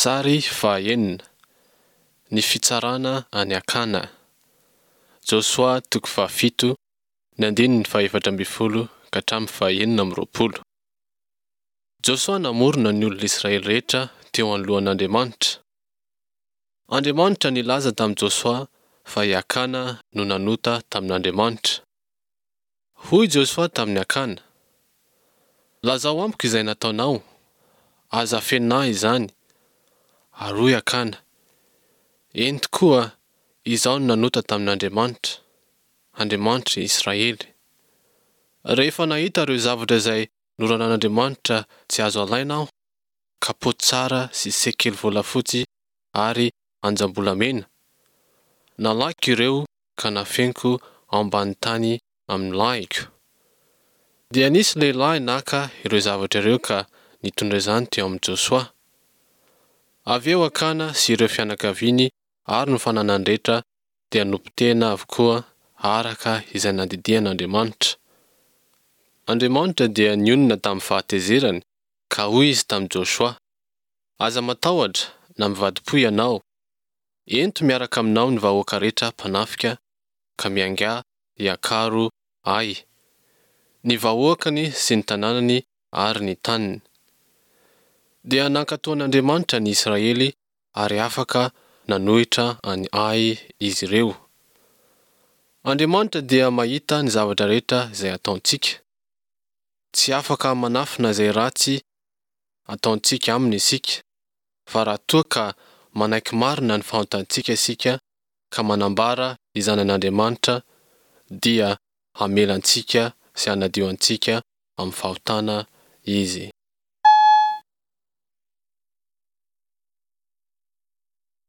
Sary fahaenina, Ny fitsarana an'i Akana. Josoa toko fahafito, ny andininy faha-14 ka hatramin'ny faha-26. Josoa namorona ny olona Israely rehetra teo anoloan'Andriamanitra. Andriamanitra nilaza tamin'i Josoa fa i Akana no nanota tamin'Andriamanitra. Hoy Josoa tamin'i Akana, Lazao amiko izay nataonao, aza afenina ahy izany. Ary hoy Akana, Eny tokoa, izaho no nanota tamin'Andriamanitra, Andriamanitr'i Israely. Rehefa nahita ireo zavatra izay noraran'Andriamanitra tsy azo alaina aho, kapoty tsara sy sekely volafotsy ary anjam-bolamena, nalaiko ireo ka nafeniko ao ambanin'ny tany amin'ny lahiko. Dia nisy lehilahy naka ireo zavatra ireo ka nitondra izany teo amin'i Josoa. Avy eo Akana sy ireo fianakaviany ary ny fananany rehetra dia nopotehina avokoa araka izay nandidian'Andriamanitra. Andriamanitra dia nionona tamin'ny fahatezerany ka hoy izy tamin'i Josoa, Aza matahotra na mivadi-po ianao. Ento miaraka aminao ny vahoaka rehetra mpanafika ka miaingà hiakaro Ay, ny vahoakany sy ny tanànany ary ny taniny. Dia nankatò an'Andriamanitra ny Israely ary afaka nanohitra an'i Ay izy ireo. Andriamanitra dia mahita ny zavatra rehetra izay ataontsika. Tsy afaka manafina izay ratsy ataontsika aminy isika, fa raha toa ka manaiky marina ny fahotantsika isika ka manambara izany an'Andriamanitra dia hamela antsika sy hanadio antsika amin'ny fahotana Izy.